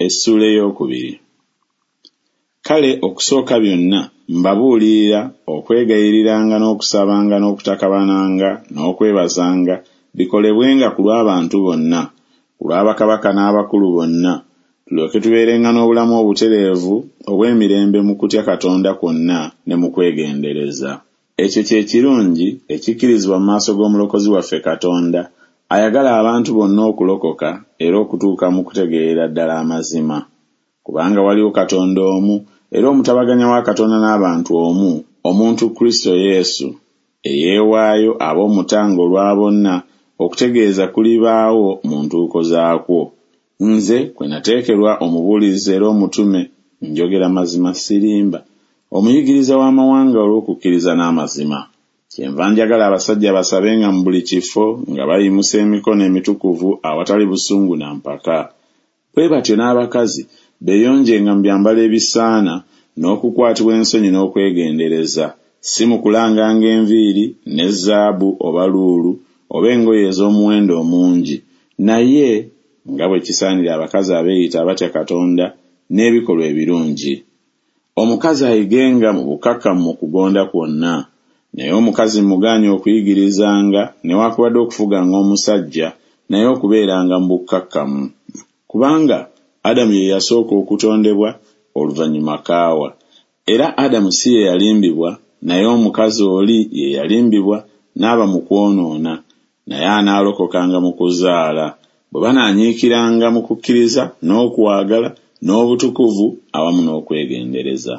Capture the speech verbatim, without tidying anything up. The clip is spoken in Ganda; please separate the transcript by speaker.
Speaker 1: Essuula ey'okubiri. Kale okusooka byonna mbabuulirira okwegayiriranga n'okusabanga n'okutakabananga n'okwebazanga bikolebwenga ku lw'abantu bonna, ku lwa bakabaka n'abakulu bonna, tulyoke tubeerenga n'obulamu obutereevu obw'emirembe mu kutya Katonda kwonna ne mu kwegendereza. Ekyo kye kirungi ekikkirizibwa mu maaso g'Omulokozi waffe Katonda, ayagala abantu bonna okulokoka era okutuuka mu kutegeerera ddala amazima. Kubanga waliwo Katonda omu, era omutabaganya wa Katonda n'abantu omu, omuntu Kristo Yesu, eyeewaayo abe omutango olwa bonna, okutegeeza kulibaawo mu ntuuko zaakwo. Nze kwe nateekerwa omubuulizi era omutume, njogera mazima sirimba, omuyigiriza w'amawanga olw'okukkiriza n'amazima. Kyenva njagala abasajja basabenga mu buli kifo nga bayimusa emikono emitukuvu awatali busungu na mpaka. Bwe batyo n'abakazi beeyonjenga mu byambalo ebisaana n'okukwatibwa ensonyi n'okwegendereza, si mu kulanganga enviiri ne zaabu oba luulu oba engoye ez'omuwendo omungi, naye nga bwe kisaanira abakazi abeeyita abatya Katonda n'ebikolwa ebirungi. Omukazi ayigenga mu bukkakkamu mu kugonda kwonna. Naye omukazi mugaanye okuyigirizanga newaakubadde okufuganga omusajja, naye okubeeranga mu bukkakkamu. Kubanga Adamu ye yasooka okutondebwa, oluvannyuma Kaawa. Era Adamu si ye yalimbibwa, naye omukazi oli ye yalimbibwa n'aba mu kwonoona, naye anaalokokanga mu kuzaala, bwe banaanyiikiranga mu kukkiriza n'okwagala n'obutukuvu awamu n'okwegendereza.